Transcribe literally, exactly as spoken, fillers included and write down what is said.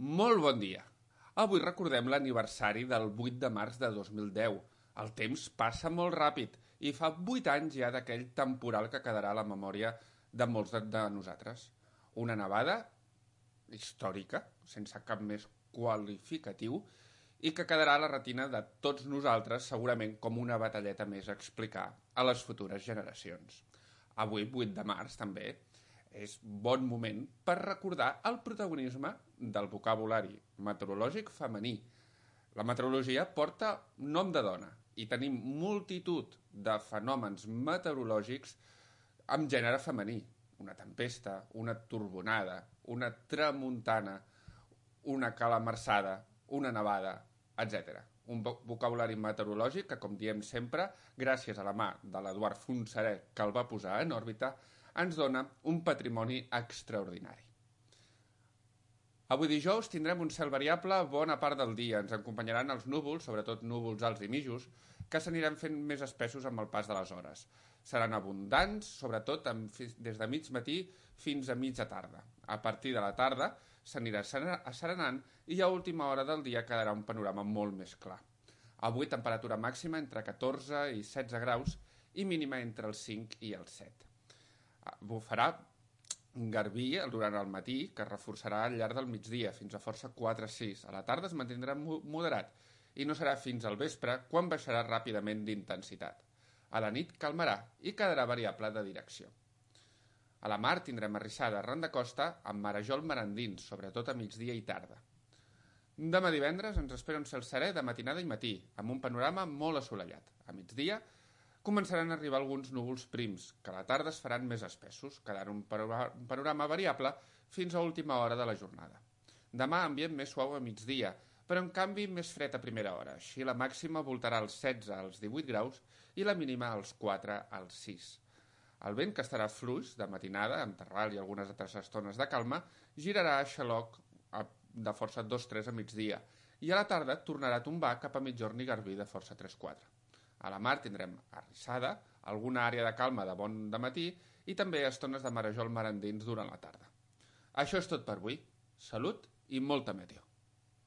Molt bon dia. Avui recordem l'aniversari del vuit de març de dos mil deu. El temps passa molt ràpid i fa vuit anys ja d'aquell temporal que quedarà a la memòria de molts de, de nosaltres. Una nevada històrica, sense cap més qualificatiu, i que quedarà a la retina de tots nosaltres segurament com una batalleta més a explicar a les futures generacions. Avui, vuit de març, també, és bon moment per recordar el protagonisme del vocabulari meteorològic femení. La meteorologia porta nom de dona i tenim multitud de fenòmens meteorològics amb gènere femení. Una tempesta, una torbonada, una tramuntana, una calamarsada, una nevada, etcètera. Un vocabulari meteorològic que, com diem sempre, gràcies a la mà de l'Eduard Fontserè, que el va posar en òrbita, ens dona un patrimoni extraordinari. Avui dijous tindrem un cel variable bona part del dia. Ens acompanyaran els núvols, sobretot núvols alts i mitjos, que s'aniran fent més espessos amb el pas de les hores. Seran abundants, sobretot des de mig matí fins a mitja tarda. A partir de la tarda s'anirà asserenant i a última hora del dia quedarà un panorama molt més clar. Avui temperatura màxima entre catorze i setze graus i mínima entre els cinc i els set. Bufarà un garbí durant el matí que es reforçarà al llarg del migdia fins a força quatre a sis. A la tarda es mantindrà moderat i no serà fins al vespre quan baixarà ràpidament d'intensitat. A la nit calmarà i quedarà variable de direcció. A la mar tindrem arrissada arran de costa amb marejol marandins, sobretot a migdia i tarda. Demà divendres ens espera un cel serè de matinada i matí, amb un panorama molt assolellat. A migdia començaran a arribar alguns núvols prims, que a la tarda es faran més espessos, quedant un panorama variable fins a última hora de la jornada. Demà ambient més suau a migdia, però en canvi més fred a primera hora. Així la màxima voltarà als setze als divuit graus i la mínima als quatre als sis. El vent, que estarà fluix de matinada, amb terral i algunes altres estones de calma, girarà a xaloc de força dos tres a migdia i a la tarda tornarà a tombar cap a mitjorn i garbí de força tres quatre. A la mar tindrem arrissada, alguna àrea de calma de bon dematí i també estones de marejol marandins durant la tarda. Això és tot per avui. Salut i molta meteo.